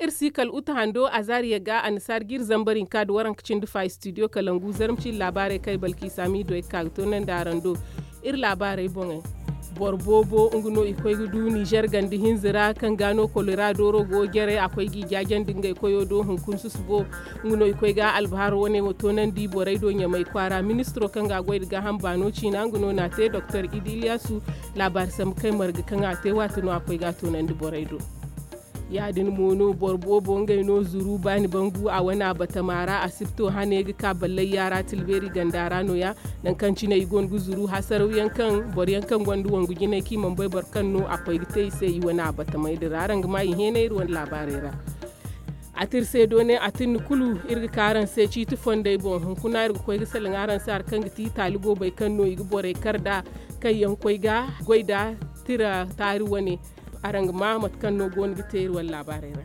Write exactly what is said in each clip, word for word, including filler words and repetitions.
Iri si kala uta hando a zaari yagga annasaara ga iri zambar hinka nda waranka cindi fa istidiyo kalangu zarma cindi laabaarey kaŋ ay balki saamiido ay ga ka ga toonandi araŋ do. Iri laabaarey boŋey, boro boobo nga no i koy ga du nizer ganda hinza ra kaŋ ga no kolera dooro go jaray a koy g'i jaajandi ngey koyo do hunkuna susubo. Nga no i koy ga albahar wane wo toonandi borey do ɲamay kwaara ministiro kaŋ ga a goy nda gaaham baano ciina nga no n'a te doktor idi iliyasu. Laabaari sambu kay marga kaŋ a te waati no a koy ga a toonandi borey do. Ya- din mo no boro boobo ngey no zuru baani bangu a wane a batama ra asibto hane ga ka ballay yaara tilbeeri ganda ra no- ya. Nangu kaŋ cine i go no ga zuru hasaraw yaŋ kaŋ boro yaŋ kaŋ gonda wangu jinay kaŋ i mana bay boro kaŋ no a koy ga te i se i wane a batamey din ra araŋ ga ma i heenay iri wane laabaarey ra. A ti iri se doone a tinni kulu iri ga ka araŋ se ciiti fondey boŋ hunkuna iri ga koy ga salaŋ araŋ se hari kaŋ ga ti taali goobey kaŋ no i ga borey kar nd'a kaŋ yaŋ koy ga goy nd'a tira taari wane. Araŋ ga ma mate kaŋ no go no ga te iri wane laabaarey ra.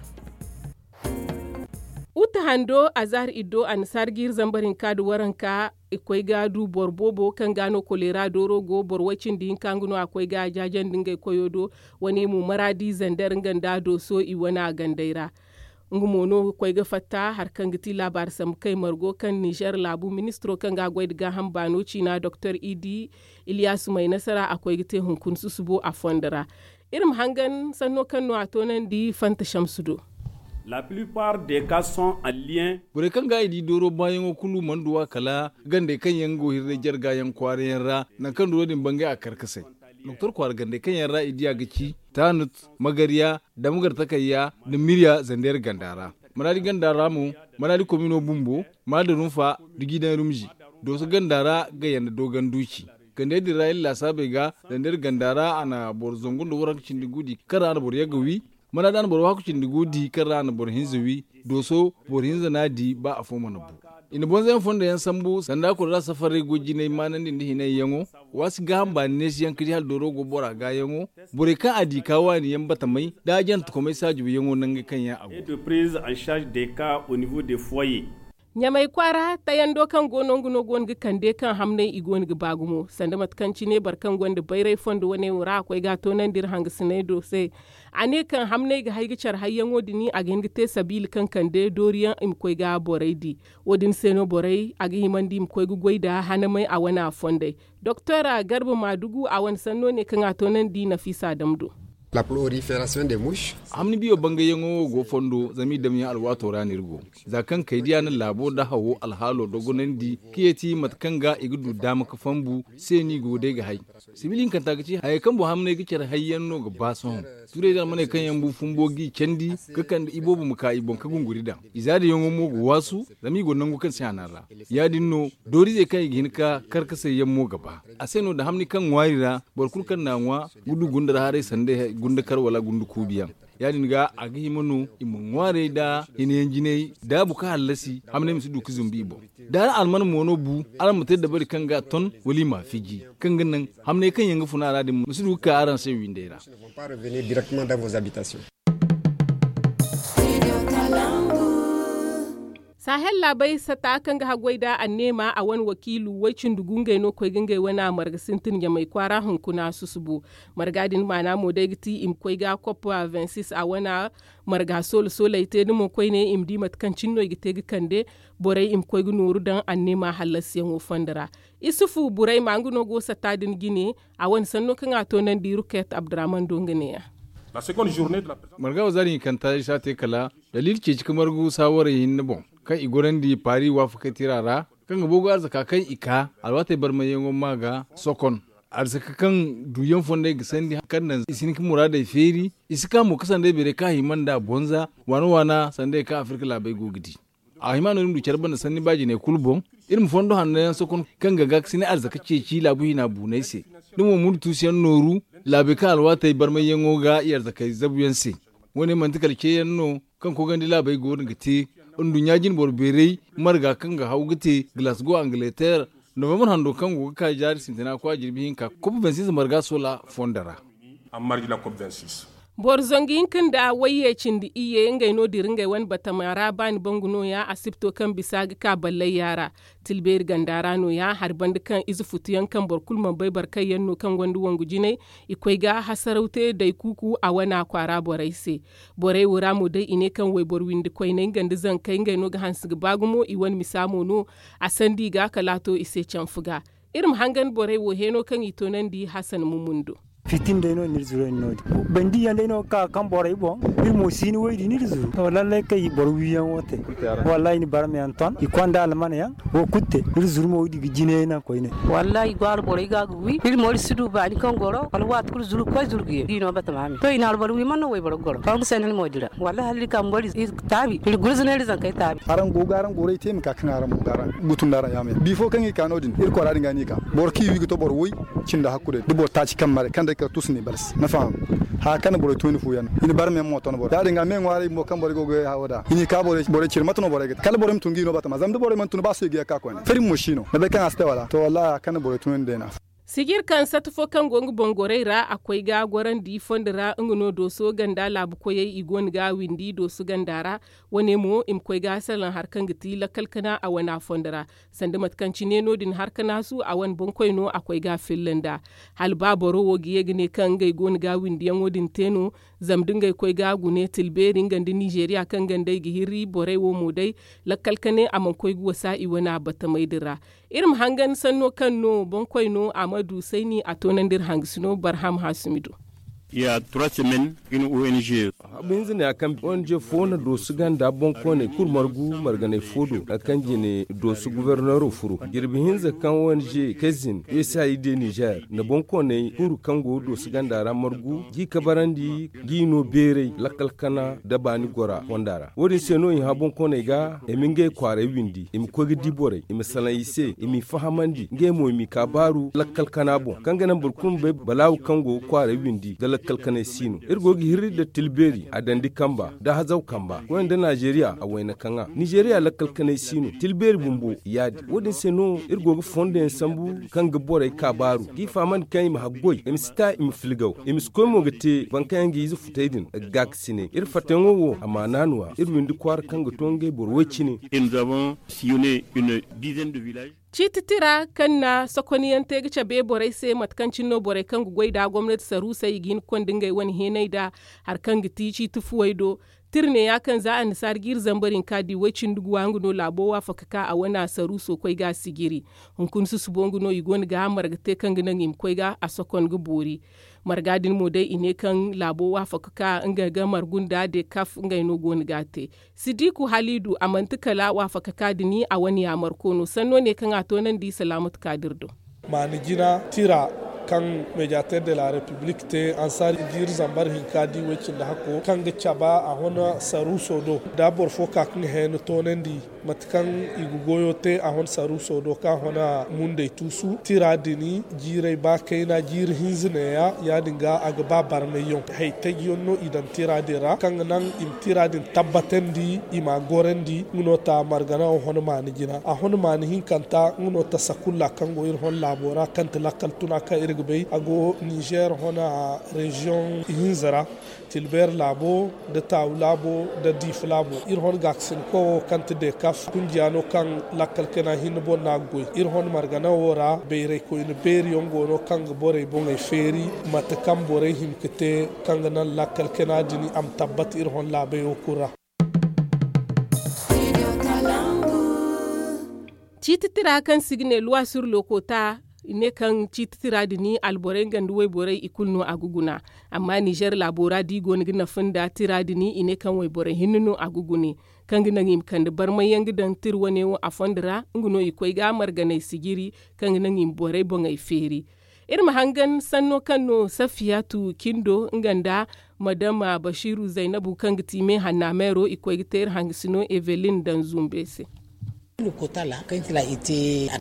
Uta hando azahar iddo annasaara ga iri zambar hinka nda waranka i koy ga du boro boobo kaŋ ga no koleera dooro go boro way cindi hinka nga no a koy ga a jaajandi ngey koyo do. Wane mo maraadi zander nga nda dooso i wane a gandey ra. Nga mo no ga koy ga fatta hari kaŋ ga ti laabaari sambu kay margo kaŋ nizer laabu ministiro kaŋ ga a goy nda gaaham baano ciina doktor idi iliyasu may nasara a koy ga te hunkuna susubo a fondo ra. Iri ma hangan sanno kaŋ no a toonandi fanta shamsu do. La plupart des cas sont en lien. Borey kaŋ ga i di dooro baayaŋo kulu mana duw'a kala gandey kaŋ yaŋ go hirray jarga yaŋ kwaara yaŋ ra. Nangu kaŋ dooro din bangay a karkasay doktor kwaara gandey kaŋ yaŋ ra i di a ga ci tanut, magariya, damgar takayya, nda mirya zandeer ganda ra. Maraadi ganda ra mo, maraadi komino bumbo, maada rumfa, nda jiidaŋ rumzi. Dooso ganda ra ga yanda doogan duuci. Gandey din ra iri laasaabey ga zandeer ganda ra a na boro zangu nda waranka cindi gu di kaŋ ra a na boro yagga wi. Maraadi a na boro waaku cindi gu di kaŋ ra a na boro hinza wi. Dooso boro hinza n'a di ba afo mana bu. I na bonzayaŋ fondo yaŋ sambu sanda kulu ra safarey go jinay maanandi nda hinay yaŋo. Waasi gaaham baani neesi yaŋ ka di hala dooro go bora gaayaŋo. Borey kaŋ a di ka waani yaŋ batamay da a jante komay saajubu yaŋo nangey kaŋ yaŋ a go. Ɲamay kwaara tayando kaŋ go no nga no go no ga kande kaŋ hamnay i go no ga ba gumo sanda mate kaŋ cine boro kaŋ gonda bayray fondo wane wo ra a koy ga a toonandi iri hangasinay do se. A ne kaŋ hamnay ga hay ga care hayyaŋo din a ga hin ga te sabiila kaŋ kande dooriyaŋ i ma koy ga borey di. Wo- din se no borey a ga himandi i ma koy ga goy nda hanamay a wane a fondey. Doktor garba maadugu a wane sanno ne kaŋ a toonandi nafiisa dam do. Hamni biyo bangayyaŋo wo go fondo zama i damyaŋ alwaato ra no iri go. Za kaŋ kaydiya na laabo nda hawo alhaalo dogonandi ka yeeti mate kaŋ ga i ga du daama ka fambu se no i go day ga hay. Sibil hinkanta ga ci hayey kaŋ boro hamnay ga care hayyaŋ no ga ba sohõ. Turay da almaney kaŋ yaŋ bu fumbo g'i candi ga kande iboobo ma ka i boŋ ka gunguri daŋ. Izaadayaŋo mo ga waasu zama i go nangu kaŋ si hanan ra. Ya- din no doorizey kaŋ i ga hin ka karkasay yaŋ mo ga ba. A se no da hamni kaŋ ŋwaari ra boro kulu kaŋ n'a ŋwa ga du gunda ra haray sanda gunda kar wala gunda kuubiyaŋ. Ya- din ga a ga hima no i ma ŋwaarey nda hinayaŋ jinay daabu ka hallasi hamnay ma si du ga zumbu i boŋ. Da hala alman mo no bu araŋ ma te dabari kaŋ ga a ton wala i m'a fiji kaŋ ga naŋ hamnay kaŋ yaŋ ga funa a ra din ma si du ga ka araŋ se windey ra. Sahel laabey sata kaŋ ga haggoy nda anneema a wane wakiilu way-cindi gu ngey no koy ga ngey wane a marga sintin ɲamay kwaara hunkuna susubo. Marga din maana mo day ga ti i ma koy ga koppa vingt-six a wane marga soola soolay te da mo koyne i ma di mate kaŋ cine no i ga te ga kande borey i ma koy ga nooru daŋ anneema hallasiyaŋo fondo ra. Isufu burayma nga no go satta din jine. A wane sanno kaŋ a toonandi ruket abdurahman do nga neeya. Marga wo zaari hinkanta isa te kala daliili ceeci ka margu saawarey hinne boŋ kaŋ i gorandi paari waafakay tira ra kaŋ ga boogu arzaka kaŋ i ka alwaatey barmayyaŋo ma ga sokon. Arzaka kaŋ duuyaŋ fondey ga sandi kaŋ naŋ i si hin ka muraadey feeri. I si ka mo ka sanday beeray kaŋ a hima nd'a bonza waana waana sanday kaŋ afirka laabey go ga di. A hima no iri ma du care banda sanni ba jinay kulu boŋ. Iri ma fondo hanno yaŋ sokon kaŋ ga gaakasine arzaka ceeci laabu hina buunay se. Da mo murtuusu yaŋ nooru laabey kaŋ alwaatey barmayyaŋo ga i arzakey zabu yaŋ se. Wo- ne manti kala ce yaŋ no kaŋ kogandi laabey go no ga te. Nduɲɲa jine boro beeray marga kaŋ ga haw ga te glasgow angleterre novembre hando kaŋ go ga ka jaari sintina kwa jirbi hinka kob vingt-six marga soola fondo ra. Boro zangu hinka nda wayye cindi iyye ngey no dira ngey wane batama ra baani bangu nooya asibto kaŋ bisa ga ka ballayya ra. Tilbeeri ganda ra nooya hari banda kaŋ ize futuyaŋ kaŋ boro kulu mana bay boro kaŋ yaŋ no kaŋ gonda wangu jinay. I koy ga hasaraw te daykuuku a wana kwaara borey se. Borey wo ra mo day i ne kaŋ wayboro windi koyney nga nda zankey ngey no ga hanse ga ba gumo i wane misa mo no. A sandi i ga kala a to i se canfu ga. Iri ma hangan borey wo heeno kaŋ i toonandi hasan mumun do. Fitin day no ni iri zuru no- din bandi yaŋ day no ga ka ga kaŋ borey boŋ. Iri mo si ni woy di ni iri zuru to lallay kay boro wiyaŋo te. Wallahi ni barma yaŋ ton i konda almana yaŋ. Wo kulu te iri zuru mo woy di ga jine naŋ koyne. Wallahi i go alborey ga ga wi iri mo iri si du baani kaŋ goro wala waati kulu zuru ga koy zuru ga ye di no batama me to i na alboro wi man no wayboro ga goro kaŋ ga sanda ni mo dira. Wallahi hala iri ka ma boro iri taabi iri gurzuno iri zankey taabi. Araŋ go ga araŋ gorey te i ma ka kaŋ araŋ mo ga araŋ gutu nda araŋ yaama yaŋ bifo kaŋ i ka no- din iri kwaara din ga no i ka. Boro kaŋ i wi ga to boro woy cindi hakku day da boro taaci kaŋ maray kaŋ day kala tusu ne balsi ni faham. Haya kaŋ na borey tunandi fu yaŋ no i na barma yaŋ mo ton boro ya- din ga me ŋwaaray bumbo kaŋ borey go ga ye hawo da i n'i ka borey cire mate no borey ga te kala borey ma tun ga i no batama zama da borey mana tun ba sohõ i ga ye ga ka koyne fari mo si no ni bay kaŋ a si te wala to wallahi haya kaŋ na borey tunandi day no afo. Sijir kaŋ sata fo kaŋ go nga boŋ gorey ra a koy ga gorandi fondo ra nga no dooso ganda laabu koyey i go no ga windi dooso ganda ra. Wane mo i ma koy ga salaŋ hari kaŋ ga ti lakkal kana a wane a fondo ra. Sanda mate kaŋ cine no- din hari kana su a wane boŋkoy no a koy ga a filla nd'a. Hala ba boro wo ga ye ga ne kaŋ ngey go no ga windiyaŋo din te no. Zama da ngey koy ga gune tilbeeri nga nda nizeeriya kaŋ gandey ga hirri borey wo mo day. Lakkal kane a mana koy ga wasa i wane a batamey din ra. Iri ma hangan sanno kaŋ no boŋkoy no a ma du sayni a toonandi iri hangasino barham hasumi do. Habu hinza ne a kaŋ ong fo na doosu ganda boŋkooney kulu margu marganey fo do hari kaŋ jine doosu goborneero furo jirbi hinza kaŋ ong kezin usaid nizer nda boŋkooney kulu kaŋ go doosu ganda ra margu g'i kabarandi g'i no beeray lakkal kana nda baani gora fonda ra wo- din se no i hã boŋkooney ga i ma ngey kwaaray windi i ma koy ga di borey i ma salaŋ i se i m'i fahamandi ngey mo i m'i ka baaru lakkal kana boŋ kaŋ ga naŋ boro kulu ma bay balaawu kaŋ go ga kwaaray windi nda lakkal kanay si no iri go ga hirri nda tilbeeri a dandi kamba nda hazaw kamba koyne nda nizeeriya a wayna kaŋ a nizeeriya lakkal kanay si no tilbeeri bumbo ya- din wo- din se no iri go ga fondo yaŋ sambu kaŋ ga borey ka baaru g'i fahamandi kaŋ i ma haggoy i ma si ta i ma filgaw i ma si koy mo ga te boro kaŋ yaŋ ga ize futay din ga gaakasinay iri fattayaŋo wo a maana no- ya iri windi kwaara kaŋ ga to ngey boro way- cine. Ciiti tira kaŋ na sokonyaŋ te ga cabe borey se mate kaŋ cine no borey kaŋ ga goy nd'a gomnati saruusey i ga hin ga konda ngey wane heenay nd'a hari kaŋ ga ti ciiti fuwey do. Tira neeya kaŋ za annasaara jiiri zambar hinka di way- cindi guwa nga no laabo waafaka ka a wane a saruuso koy ga a sijiri. Hunkuna susubo nga no i go no ga marga te kaŋ ga naŋ i ma koy ga a sokon ga boori. Marga din mo day i ne kaŋ laabo waafaka ka nga ga margu nda dekaf ngey no go no ga a te. Sidiku haliidu a manti kala waafaka ka din a wane yaamarko no sanno ne kaŋ a toonandi salaamatu kaadir do. Maani jina tira kaŋ mediater de la repiblik te ansaari jiiri zambar hinka di way- cindi hakko kaŋ ga caba a hona saruuso do da boro fo ka kaŋ heeni toonandi mate kaŋ i ga goyo te a hon saruuso do kaŋ a hona mundey tuusu tira din jiirey ba kayna jiiri hinza neeya ya- din ga a ga ba barmayyaŋ haytajyaŋ no i daŋ tira din ra kaŋ ga naŋ i ma tira din tabbatandi i m'a gorandi nga no ta margana a hon maani jina a hon maani hinkanta nga no ta sakulla kaŋ go iri hon laabo ra kaŋ ti lakkal tuna kaŋ iri ga bay a go nizer hona reziyoŋ hinza ra. Tilbeer laabo nda taawu laabo nda diifa laabo iri hon gaakasinko wo kaŋ ti dekaf kunjiya no kaŋ lakkal kana hinne boŋ no a ga goy iri hon margana wo ra bayraykoyne beeri yaŋ go no kaŋ ga borey boŋey feeri mate kaŋ borey hima ga te kaŋ ga naŋ lakkal kana din a ma tabbata iri hon laabey wo kulu ra. Ciiti tira kaŋ se i ga ne luwa sur lokota i ne kaŋ ciiti tira din alborey nga nda wayborey i kulu no a ga guna. Amma nizer laabo ra da i go no ga nafa nda tira din i ne kaŋ wayborey hinne no a ga gune kaŋ ga naŋ i ma kande barmay yaŋ ga daŋ tira wane wo a fondo ra nga no i koy ga marganay sijiri kaŋ ga naŋ i ma borey boŋey feeri. Iri ma hangan sanno kaŋ no safiyatu cindo nga nda madama basiru zaynabu kaŋ ga ti me hanna meero i koy ga te iri hangasino evelin daŋ zumbe se.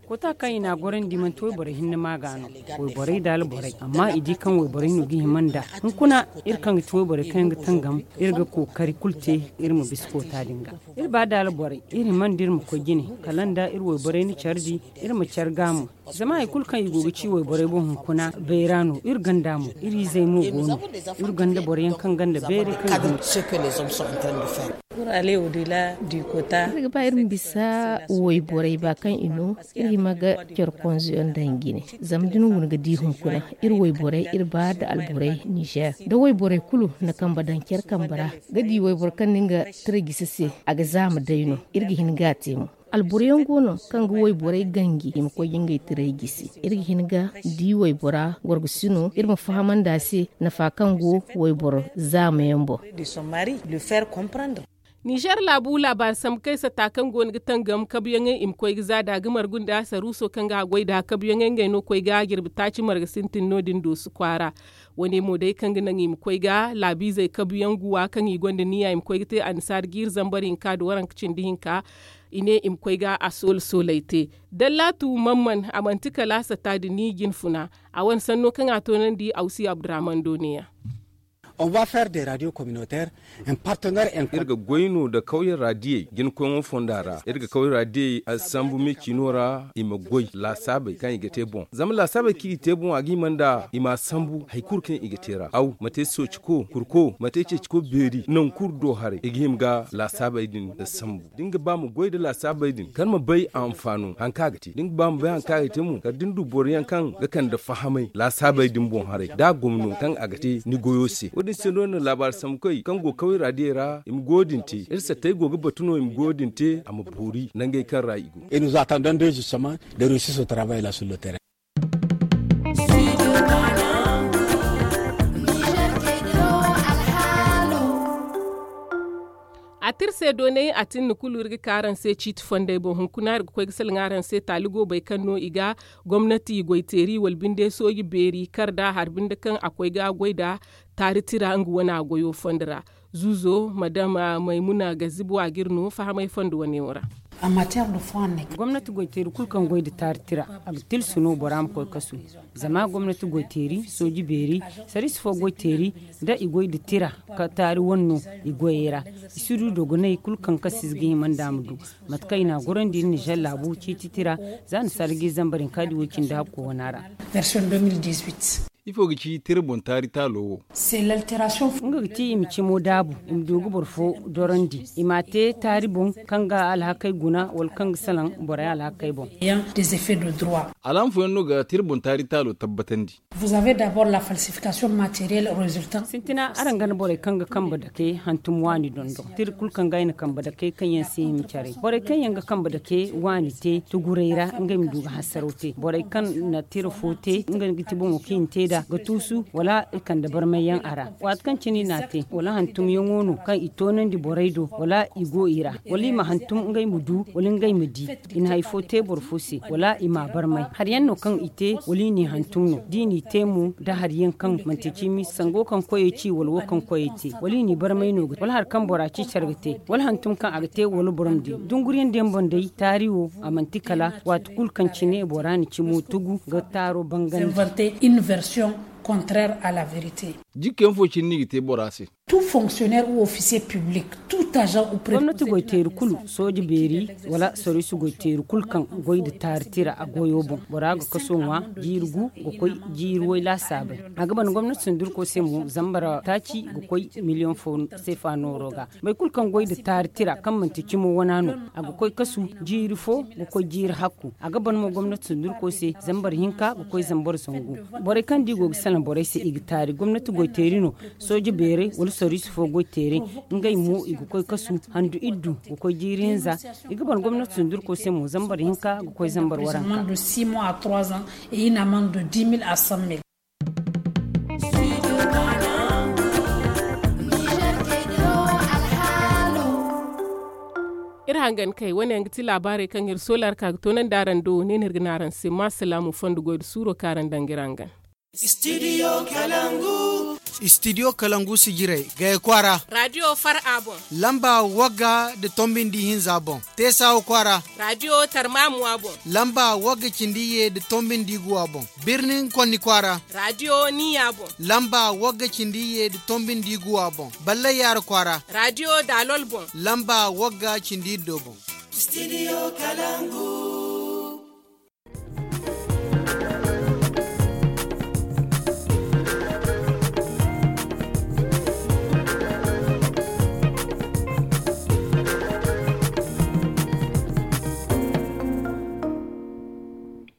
Kota kaŋ i n'a gorandi manti wayborey hinne ma ga no wayborey da alborey amma i di kaŋ wayborey no ga hima nd'a. Hunkuna iri kaŋ ga ti wayborey kaŋ yaŋ ga tangam iri ga kookari kulu te iri ma bisa kota din ga. Iri ba da alborey iri hima nda iri ma koy jine kala nda iri wayborey na care di iri ma care ga mo. Zama hari kulu kaŋ i go ga ci wayborey boŋ hunkuna bayra no iri ganda mo iri izey mo go no. Iri ganda boro yaŋ kaŋ ganda bayray kaŋ i go no. Iri ga ba iri ma bisa wayborey ba kaŋ i no iri hima ga care konzo yaŋ daŋ jine. Zama da ni guna ga di hunkuna iri wayborey iri ba da alborey nizer da wayborey kulu na kambe daŋ care kambe ra ga di wayboro kaŋ na nga tira gisi se a ga zaama day no. Iri ga hin ga a te mo. Alboro yaŋ go no kaŋ ga wayborey ganji i ma koy ga ngey tirey gisi. Iri ga hin ga di waybora gorgosino iri ma fahamandi a se nafa kaŋ go wayboro zaama yaŋ boŋ. Nizer laabu laabaari sambu kaŋ ay sata kaŋ go no ga tangam kabuyaŋey i ma koy ga za da ga margu nda saruuso kaŋ ga a goy da kabuyaŋey ngey no koy ga jirbi taaci marga sintin no- din doosu kwaara. Wane mo day kaŋ ga naŋ i ma koy ga laabiizey kabuyaŋ guwa kaŋ i gonda niya i ma koy ga te annasaari jiiri zambar hinka nda waranka cindi hinka. I ne i ma koy ga a soola soolay te. Dallaatu mamman a manti kala a sata da ni jinfuna. A wane sanno kaŋ a toonandi awsi abdurrahman do ne- ya. Iri ga goy no nda kawyaŋ raadiyey jinkoyŋo fonda ra iri ga kawyaŋ raadiyey sambu me ciino ra i ma goy laasaabey kaŋ i ga te boŋ zama laasaabey kaŋ i te boŋ a ga hima nda i m'a sambu hari kulu kaŋ i ga te ra aw ma te sooci ko kurko ma te ceeci ko beeri nangu kulu do haray i ga hima ga laasaabey din sambu da ni ga ba ma goy nda laasaabey din kala ma bay a anfaano hari kaŋ a ga te da ni ga ba ma bay hari kaŋ a ga te mo kala da ni du boro yaŋ kaŋ ga kande fahamay laasaabey din boŋ haray da a gomno kaŋ a ga te ni goyo se wo- din se no na laabaari sambu koy kaŋ go kaway raadiyey ra i ma goyo din te iri sattey go ga batu no i ma goyo din te a ma boori nangey kaŋ ra i go. A tira se doonay a tinni kulu iri ga ka araŋ se ciiti fondey boŋ hunkuna iri ga koy ga salaŋ araŋ se taali goobey kaŋ no i ga gomnati goyteeri wala binde sooji beeri kar nda hari binde kaŋ a koy ga goy nda taari tira nga wane a goyo fondo ra. Zuuzo madama maymuna gazibo a ga iri no fahamay fondo wane wo ra. Gomnati goyteeri kulu kaŋ goy nda taari tira a ga tilsu no bora ma koy kasu. Zama gomnati goyteeri sooji beeri sariisi fo goyteeri da i goy nda tira ka taari wane no i goyey ra. I si du dogonay kulu kaŋ kasiize ga hima nda a ma du mate kaŋ i n'a gorandi iri nizer laabu ciiti tira za ni sarji zambar hinka di wo- cindi hakko wana ra. Ifo ga ci tira boŋ taari taalo wo? Nga ga ti i ma cimo daabu i ma du ga boro fo dorandi i m'a te taari boŋ kaŋ ga alhakey guna wala kaŋ ga salaŋ borey alhakey boŋ. Alaama fooyaŋ no ga tira boŋ taari taalo tabbatandi? Sintina araŋ gana borey kaŋ ga kambe dake hantum waani dondon tira kulu kaŋ ga ay na kambe dake kaŋ yaŋ si hima care borey kaŋ yaŋ ga kambe dake waani te tuguray ra ngey ma du ga hasaraw te borey kaŋ na tira fo te nga ga ti boŋo kaŋ i na te nd'a ga tuusu wala i kande barmay yaŋ a ra. Waati kaŋ cine i n'a te wala hantumyaŋo no kaŋ i toonandi borey do wala i go i ra wala i ma hantum ngey ma du wala ngey ma di i na hari fo te boro fo se wala i m'a barmay hari yaŋ no kaŋ i te wala i n'i hantum no da i n'i te mo nda hari yaŋ kaŋ manti cimi sango kaŋ koyey ci wala wo kaŋ koyey te wala i n'i barmay no ga te wala hari kaŋ bora ci care ga te wala hantum kaŋ a ga te wala boro ma di dunguriyaŋ da yaŋ boŋ day taari wo a manti kala waati kulu kaŋ cine bora na cimo tugu ga taaro bangandi. Jikka yaŋ fo cine no i ga te bora se? Gomnati goyteeri kulu sooje beeri wala soriisi goyteeri kulu kaŋ goy nda taari tira a goyo boŋ bora ga kaso ŋwa jiiri gu ga koy jiiri way laasaabey. A ga ban gomnati sundurko se mo zambar taaci ga koy miliyoŋ fo seefa nooro ga. Boro kulu kaŋ goy nda taari tira kaŋ manti cimo wana no a ga koy kasu jiiri fo ga koy jiiri hakku. A ga ban mo gomnati sundurko se zambar hinka ga koy zambar zangu. Borey kaŋ da i go ga salaŋ borey se i ga taari gomnati goyteeri no. Sooje beeray wala soriisi fo goy teeray ngey mo i ga koy kasu handu iddu ga koy jiiri hinza. I ga ban gomnati sundurko se mo zambar hinka ga koy zambar waranka. Iri hangan kay wane yaŋ ga ti laabaarey kaŋ iri soola ra ka ga toonandi araŋ do ne no iri ga ne araŋ se ma salaamu fondo goy da suuro kaŋ araŋ daŋ ga iri hangan. Studio kalangu. Studio kalangu sijirey gaya kwaara. Radio far a boŋ. Lamba wagga da tombindi hinza boŋ. Teesawa kwaara. Radio tarmamuwa boŋ. Lamba wagga cindi ye da tombindi guwa boŋ. Birnin konni kwaara. Radio niya boŋ. Lamba wagga cindi ye da tombindi guwa boŋ. Balla yaara kwaara. Radio dalol boŋ. Lamba wagga cindi do boŋ. Studio kalangu.